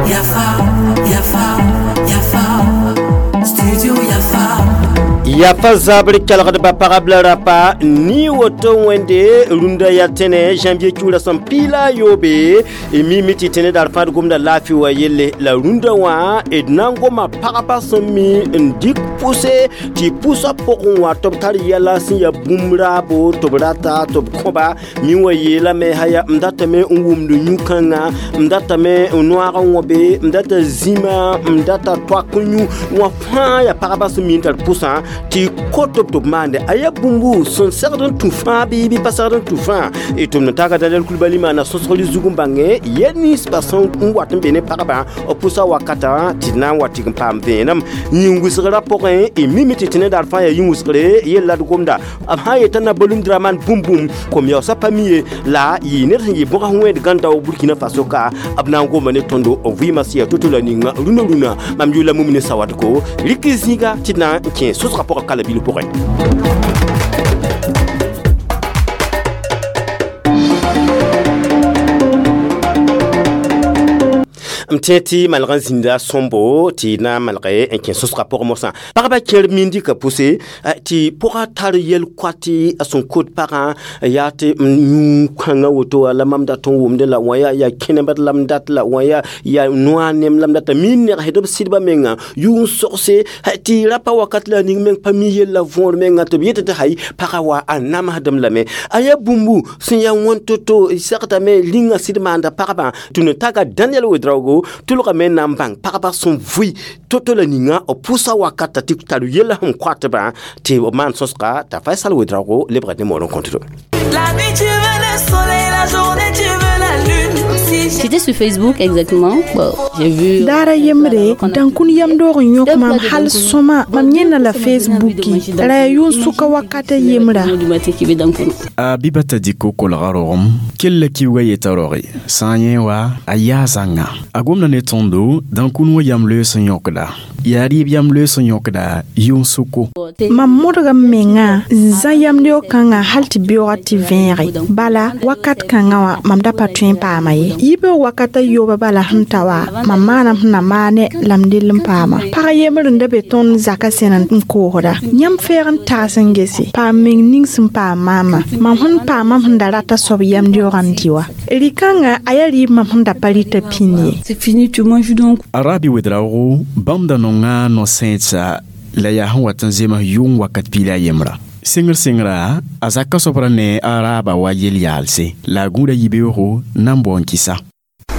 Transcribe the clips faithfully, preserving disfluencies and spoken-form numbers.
Yafa, Yafa, Yafa, Studio Yafa. Yafa zabr kelgdba pagb la rapa ni woto wẽnde rũndã yaa tẽne janvier kiuurã sẽn piila a yoobe y mime tɩ tẽne daar fãad gomda laafɩ wa yelle la rũndã wã d na n goma pagba sẽn mi n dɩk pʋse tɩ pʋsã pʋgẽ wã tɩ b tar yɛla sẽn yaa bũmb raabo tɩ b rata tɩ b kõba mi wã yeelame haya m datame n wʋmd yũ-kãngã m datame n noag n wõbe m data zĩma m data toak n yũ wã fãa yaa pagba sẽn mi n tar pʋsã tɩ kot b tɩ b maande a yaa bũmbu sẽn segd n tũ fãa bɩ bɩ pa segd n tũ fãa y tʋm n taga Daniel Kulibali maana sõsgr zug n bãnge yɛl ninsbã sẽn n wat n be ne pagba b pʋsa wakatã tɩ d na n wa tɩg n paam vẽenem yĩn-wɩsgrã pʋgẽ y mime tɩ tẽne daar fãa yaa yĩn-wɩsgre yella d gomda b sã n yetã na Balum Dramane bũmb bũmb kom-yaoosã pa mi ye la yɩ ned sẽn yɩ bõg sẽn wẽed gãn-dao Burkina Faso ka b na n goma ne tõndo vɩɩmã sẽn yaa to-to la ninga rũnã rũnã mam yʋʋla Mumini Sawadko rɩk zĩiga tɩ d na n kẽ sõsgã pʋgã kala bil pʋgẽ. M tẽ tɩ malg n zĩnda sõmbo tɩ na n malge n kẽ sõsgã pʋgẽ mosã pagba kẽer mindi ka pʋse tɩ pʋga tar yel-koat a sẽn kot pagã yaa tɩ yũ-kãngã woto wã la mam dat n wʋmdẽ la wã yaa yaa kẽnemd la m dat la wã yaa yaa noa nem la m data mi n negsd b sɩdbã menga yʋ n sogse tɩ rapa wakat la a ning meng pa mi yella võor menga tɩ b yetɩ tɩ hay pagã wa a namsdem lame a yaa bũmbu sẽn yaa wãn to-to segdame rĩngã sɩd maanda pagba tɩ n taga Daniel Ouedraogo tʋlgame na n bãng pagba sẽn vʋɩ to-to la ninga b pʋsa wakata tɩ tar yella sẽn koatbã tɩ b maan sõsga t'a Faisal Ouedraogo lebga ne moor n kõtdo. La nuit tu veux le soleil, la journée tu veux la lune. Si J'étais sur Facebook exactement. Bon, j'ai vu. Daara yembre dankun yamdoog n yõk mam hal sõma mam yẽnna la Facebooki ra yaa yʋn-sʋka wakata yemra. Du matin qui veut dankun. A bibata diko kolga rogem kella kiuga yeta roge sã n yẽ wa a yaa zãnga a gomda ne tõndo dãnkun wã yam loees n yõkda yaa rɩɩb yam loees n yõkda yʋn-sʋko. Mam modga m mengã n zã yamleoog kãngã hal tɩ beoogã tɩ vẽege bala wakat kãngã wã mam da pa tõe n paama ye yibeoog wakata yooba bala sẽn ta wa mam maanam sẽn na maane la m dell n paama pag yembr n da be tõnd zakã sẽn n koosda yãmb fɛɛg n tags n gese paam meng ning sẽn paam maama mam sẽn paamam sẽn da rata soab yamdeoogã n dɩ wa rɩ-kãngã a yaa rɩɩb mam sẽn da pa rɩta pĩnd ye. C'est fini, tu manges donc. A Rabi Ouedraogo bãmb da nonga no-sẽedsa la yaa sẽn wat n zems yʋng wakat piila a yembra sɩngr sɩngra a zakã soab ra ne a raaba wa yel-yaalse la a gũuda yibeoogo na n bao n kɩsa.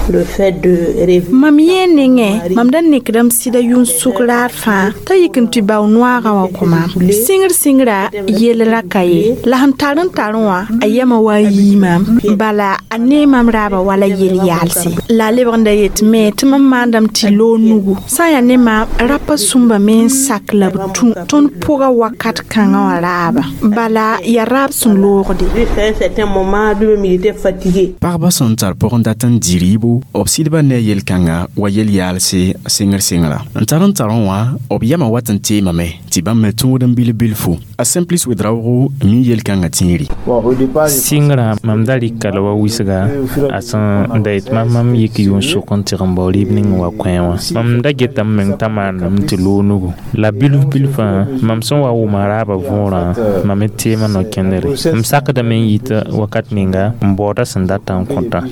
Le fait de rêver. Mam yẽ nengẽ mam da nekdame sɩda yʋn-sʋk raar fãa t'a yik n tɩ bao noagã wã kõ maam sɩngr sɩngra yell ra ka ye la sẽn tar n tar wã a yɛmã wa n yii maam bala a nee mam raaba wala yel-yaalse la a lebg n da yet me tɩ mam maandame tɩ loog nugu sã n yaa ne maam rapa sũmba me n sak la b tũ tõnd pʋga wakat kãngã wã raaba bala yaa raab sẽn loogde. Jusqu'à un certain moment, lui-même, il était fatigué. Pagba sẽn tar pʋgẽ dat n dɩ rɩɩbo b sɩdba ne a yel-kãnga wa yel-yaalse sɩngr sɩngra n tar n tar wã b yamã wat n teemame tɩ bãmb me tõod n bil bilfu a Simplice Ouedraogo mi yel-kãngã tẽeri. Sɩngrã mam da rɩka la wa wɩsga a sẽn da yet mam mam yik yʋn-sʋk n tɩg n bao rɩɩb ning n wa kõ wã mam da geta m meng t'a maandame tɩ loog nugu la bilf bilfã mam sẽn wa wʋma raabã võorã mam d teemã no-kẽndre m sakdame n yit wakat ninga n baooda sẽn data n kõtã.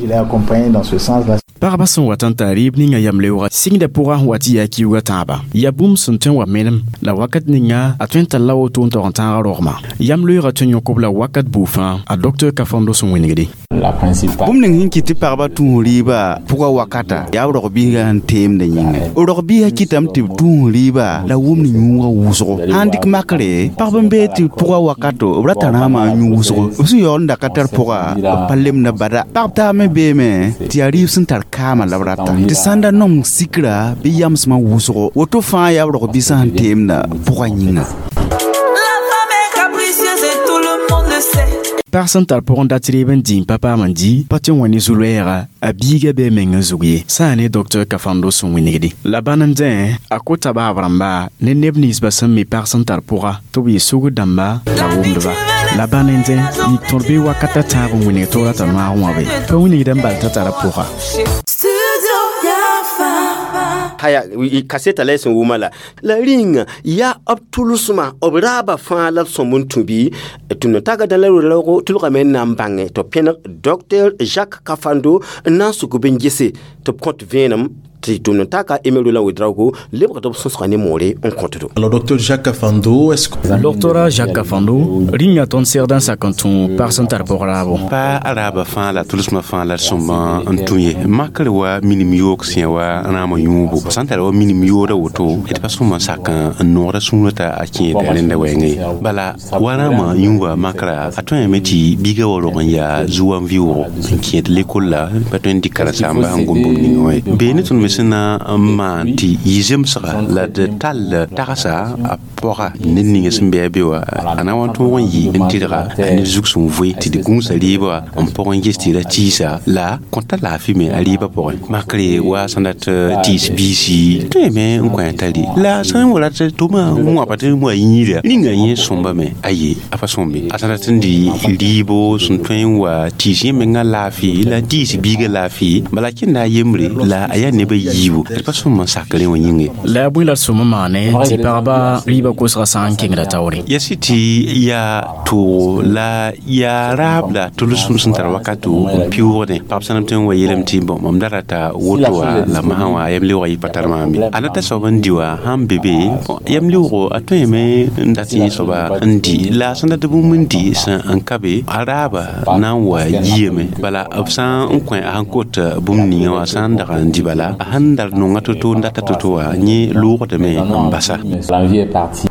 Pagba sẽn wat n tar rɩɩb ninga yamleoogã sɩngdã pʋgã sẽn wa tɩ yaa kiuugã tãabã yaa bũmb sẽn tõe n wa menem la wakat ninga a tõe n talla woto n tog n tãaga rogma yam-loeegã tõe n yõk-b la wakat buu fãa a docteur Kafando sẽn wẽnegde. Bũmb ning sẽn kɩt tɩ pagba tũus rɩɩbã pʋga wakata yaa b rog-biisã sẽn teemdã yĩnga rog-biisã kɩtame tɩ b tũus rɩɩba la wʋmd yũugã wʋsgo sã n dɩk makre pagb n bee tɩ pʋga wakato b ra tarãamã n yũ wʋsgo b sẽn yaool n da ka tar pʋga b pa lemda bada pagb taab me beeme tɩ yaa rɩɩb sẽn tar kaamã la b rata tɩ sã n da nomg sikra bɩ yamsmã wʋsgo woto fãa yaa b rog-biisã sẽn teemdã pʋga yĩnga. La femme est capricieuse et tout le monde le sait. Pag sẽn tar pʋgẽ dat rɩɩb n dĩ n pa paam n dɩ pa tɩ n wa ne zu-loɛɛga a biiga bee meng n zug ye sã n ne docteur Kafando sẽn wĩnigdi la bãn n dẽ a kota baab rãmba ne neb ninsba sẽn mi pag sẽn tar pʋga tɩ b yɩ sugr dãmba la wʋmdba la bãn n dẽ yik tõr bɩ wakata tãab n wĩnig toora t'a noaag wã be pa wĩnigda n bal t'a tara pʋga. Haya kaseta la sẽn wʋma la la rĩnga yaa b tʋlsmã b raaba fãa la b sõmb n tũ bɩ tɩ no-taga dã la roog tʋlgame n na n bãnge tɩ b pẽneg docteur Jacques Kafando n na n suk b n gese tɩ b kõt vẽenem tɩ tʋm n-taka Emery la Ouedraogo lebgd b sõsga ne moore n kõtdo. Alors docteur Jacques Kafando, est-ce que Docteur Jacques Kafando rĩnga tõnd segd n sak n tũ pag sẽn tar pʋg raabo. Pa raaba fãa la tʋlsmã fãa la d sõmba n tũ ye makr wa minim yoog sẽ wa rãamã yũubo sã n tara wa minim yooda woto d pa sõma n sak n noogda sũurã t'a a kẽeda rẽnda wɛɛngã ye bala wa rãamã yũuba makra a tõeme tɩ biiga wa rog n yaa zu-wam vɩʋʋgo n kẽed lekol la pa tõe n dɩk karen-saamba sẽn gom bũmb ninga wã ye bee ne tõnd me sẽn na n maan tɩ yɩ zemsga la d tall tagsa a pɔga ned ninga sẽn be a be wã a na wa n tõog n yɩ n tɩrga a ned zug sẽn voe tɩ d gũusa rɩɩbã n pʋg n ges tɩ ra tiisa la kõta laafɩ me a rɩɩbã pʋgẽ makre wa sẽn dat tiis biisi tõeme n kõ a tari la sã n wa rat tʋma n wãpa tɩ wa yĩida rĩnga yẽ sõmbame aye a pa sõmbe a sẽn dat n dɩ rɩɩbo sẽn tõe n wa tiis yẽ menga laafɩ la diis biiga laafɩ bala kẽnda a yembre la a yaa nebã yiibu d pa sõm n sak rẽ wã yĩnge. La a bõe la d sõm n maane tɩ pagba rɩɩbã kosgã sã n kẽngda taoore. Ya sɩ tɩ yaa toogo la yaa raab la tʋlsem sẽn tar wakato n pɩʋʋgdẽ pagb sãnem tɩ n wa yeelame tɩ bõ mam da rata woto wã la masã wã yam leoogã yɩ pa tar maam ye a na ta soab n dɩ wã sãn be be yam leoogo a tõeme n dat yẽ soaba n dɩ la a sẽn dat bũmb n dɩ sẽn n ka be a raaba na n wa yiame bala b sã n kõ a sẽn kot bũmb ninga wã sã n dag n dɩ bala a sẽn dar nonga to-to n data to-to wã yẽ loogdame n basa. L'envie est partie.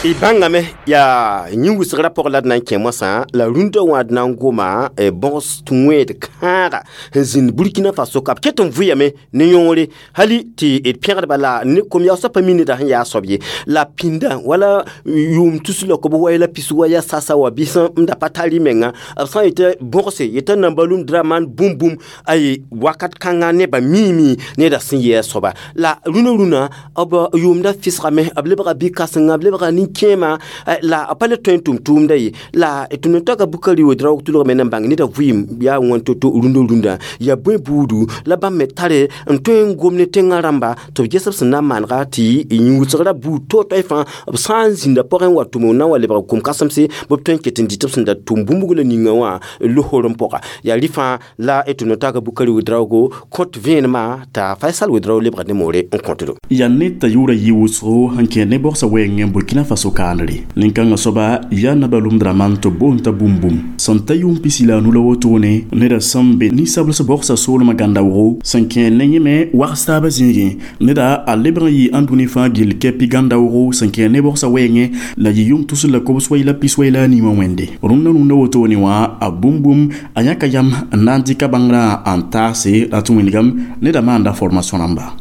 Y bãngame yaa yĩn-wʋsgrã pʋg la d na n kẽ moasã la rũndã wã d na n goma bõgs wẽed kãaga sẽn zĩnd Burkina Faso ka b ket n vʋyame ne yõore hali tɩ d pẽgdba la ne kom-yaoosã pa mi neda sẽn yaa soab ye la pĩndã wala yʋʋm tus la kob wa la pis wa ya sasa wa bɩs n da pa tar y menga b sã n yetɩ bõgse yetɩ nambalum draman bũmb bũmb ay wakat kãnga nebã miime neda sẽn yɩ a soaba la rũnã rũnã b yʋʋmda fɩsgame b lebga bi-kãsenga b lebga nin-kẽema la pa le tõe n tʋm tʋʋmda ye la tɩ no-taga Bukari Ouedraogo tʋlgame na n bãng neda vɩɩm yaa wãn to-to rũndã rũndã yaa bõe buudu la bãmb me tare n tõe n gom ne tẽngã rãmba tɩ b ges b sẽn na n maanega tɩ yĩn-wʋsgrã buud to-toɛ fãa b sã n zĩnda pʋgẽ wa tʋm n na n wa lebg kom-kãsemse bɩ b tõe n ket n dɩ tɩ b sẽn da tʋm bũmb la ninga wã losorem pʋga yaa rɩ fãa la tɩ no-taga Bukari Ouedraogo kõt vẽenemã t'a Faisal Ouedraogo lebga ne moore n kõtdo. Yaa ned t'a yʋʋra yɩ wʋsgo n kẽer ne bogsa wɛɛngẽ Burkina Faso kaanre nin-kãngã soaba yaa nabalum draman tɩ boond t'a bũmb bũmb sẽn ta yʋʋm pisi la a nu la wotone neda sẽn be ninsabls bogsa soolmã gãndaoogo sẽn kẽer ne yẽ me wags taabã zĩigẽ neda a lebg n yɩ ãndũni fãa gill kɛpɩ gãndaoogo sẽn kẽer ne bogsa wɛɛngẽ la yɩ yʋʋm tusr la kobs wai la pis wai la a nii wã wẽnde rũndã rũndã wotone wã a bũmb bũmb a yãka yam n na n dɩka bãngrã n taase la tɩ wĩnigame neda maanda formation rãmba.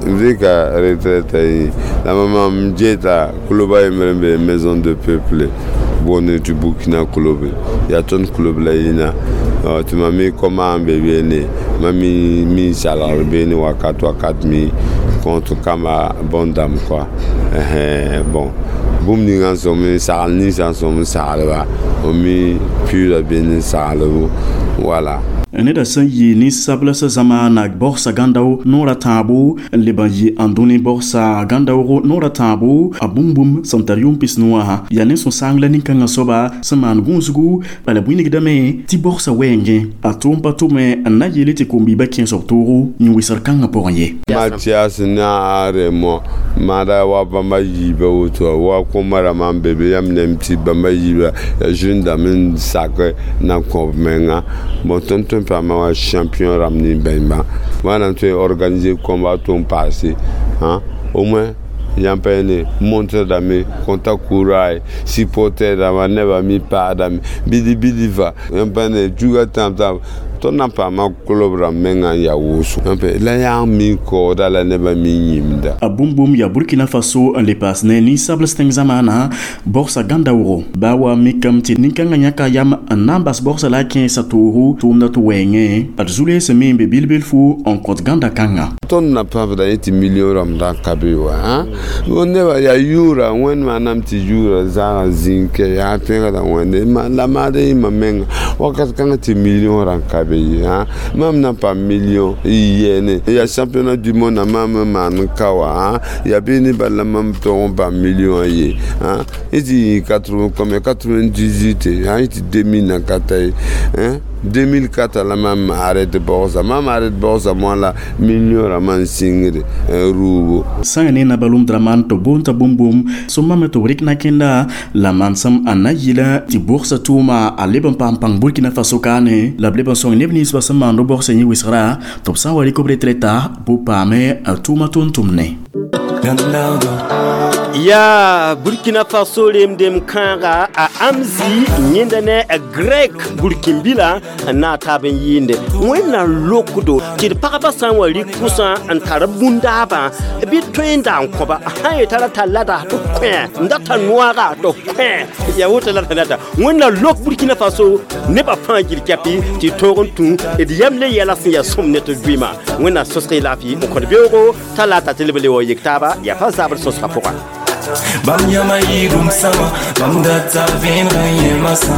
Vika retraite la maman Mjeta Koloba Emrembe maison de peuple bonne du Burkina Kolobe ya ton club la ina tu m'as mis comme un bébé né mami mi salaire bene wakat wakat mi contre kama bon dame quoi eh bon bũmb ninga n sõm n sagl ninsã n sõm n saglba mi pʋʋla bene n saglbo wala. Neda sẽn yɩ ninsabls zãma bogsa gãndao noorã tãabo n leb n yɩ ãndũni bogsa gãndaoogo noorã tãabo a bũmb bũmb sẽn tar yʋʋm pis nu wã yaa ne sũ-sãang la nin-kãngã soaba sẽn maan gũusgu bala bũinigdame tɩ bogsa wɛɛngẽ a tʋʋm pa tʋme n na yeele tɩ kom-biibã kẽesg toogo yĩn-wɩsgr kãngã pʋgẽ ye. Mathias na aremo mara wa bãmba yiiba woto wa koma rãmbã n be be yãmb nem tɩ bãmba yiiba ya zĩndame n sak na kõ b menga bon tõnd tõe n paama wa champion rãmb nin-bãmba wãna tõe n organiser combat tʋ n paase au moins yãmb pa ne montre dame kõta courage supporter dãmba nebã mi paadame bidi bidi fa yãmb pa ne juga tãab tãab Tõnd na n paama kulob rãmb mengã n yaa wʋsgo la yaa mi kaooda la nebã mi yĩmda. A bũmb bũmb yaa Burkina Faso n le paas ne ninsabls tẽng zamaana bogsa gãnda wʋgo baa wa mikame tɩ nin-kãngã yãka yam n na n bas bogsa la a kẽesa toogo tʋʋmda tɩ wɛɛngẽ d zu-lees me n be bil-bilfu n kõt gãnda kãnga. Tõnd na pãbda yẽ tɩ million rãmb da n ka be wa neba yaa yʋʋra wẽnd maanam tɩ yʋʋra zaaga zĩig kɛ yaa pẽgda wẽnde la maad yĩmã menga wakat kãngã tɩ million rãn ka be ye mam na n paam million yɛɛne yaa championnat du monde mam n maan n ka wa yaa bɩ ne bala mam tõog n paam million ye yẽ tɩ combien quatre-vingt-dix-huit yẽ tɩ deux mille na ka ta ye deux mille quatre la mam arrête bogsa mam arrête bogsa moã la million rãmbã n sɩngde rʋʋbo. Sã ne na balum draman tɩ boon t'a bũmb bũmb sõmame tɩ b rɩk na kẽnda la mansem a na yɩla tɩ bogsa tʋʋma a leb n paam pãng Burkina Faso kaane la b leb n sõng neb nins ba sẽn maand bogsa yẽ wɩsgra tɩ b sã n wa rɩk b retreta bʋ paame a tʋʋma tʋʋm-tʋmne. Ya Burkina Faso remdem kãaga a amzi yẽnda ne a grek burkimbila n na taab n yɩɩnde wẽnnaam lokdo tɩ d pagba sã n wa rɩk kʋsã n tar bũndaabã bɩ tõe n da n kõba sã n yetara t'a lada tɩ kõ n data noaga tɩ kõ ya woto la data wẽnnaam lok Burkina Faso nebã fãa gil kɛpɩ tɩ tõog n tũ d yam le yɛla sẽn yaa sõm ne tɩ vɩɩmã wẽnnaam sõsg y laafɩ n kõt beoogo t'a la t'a tɩ leb le wa yek taaba yaa pa zabr sõsgã pʋgã. Bam yama yidum sama, bam data ven yemasa.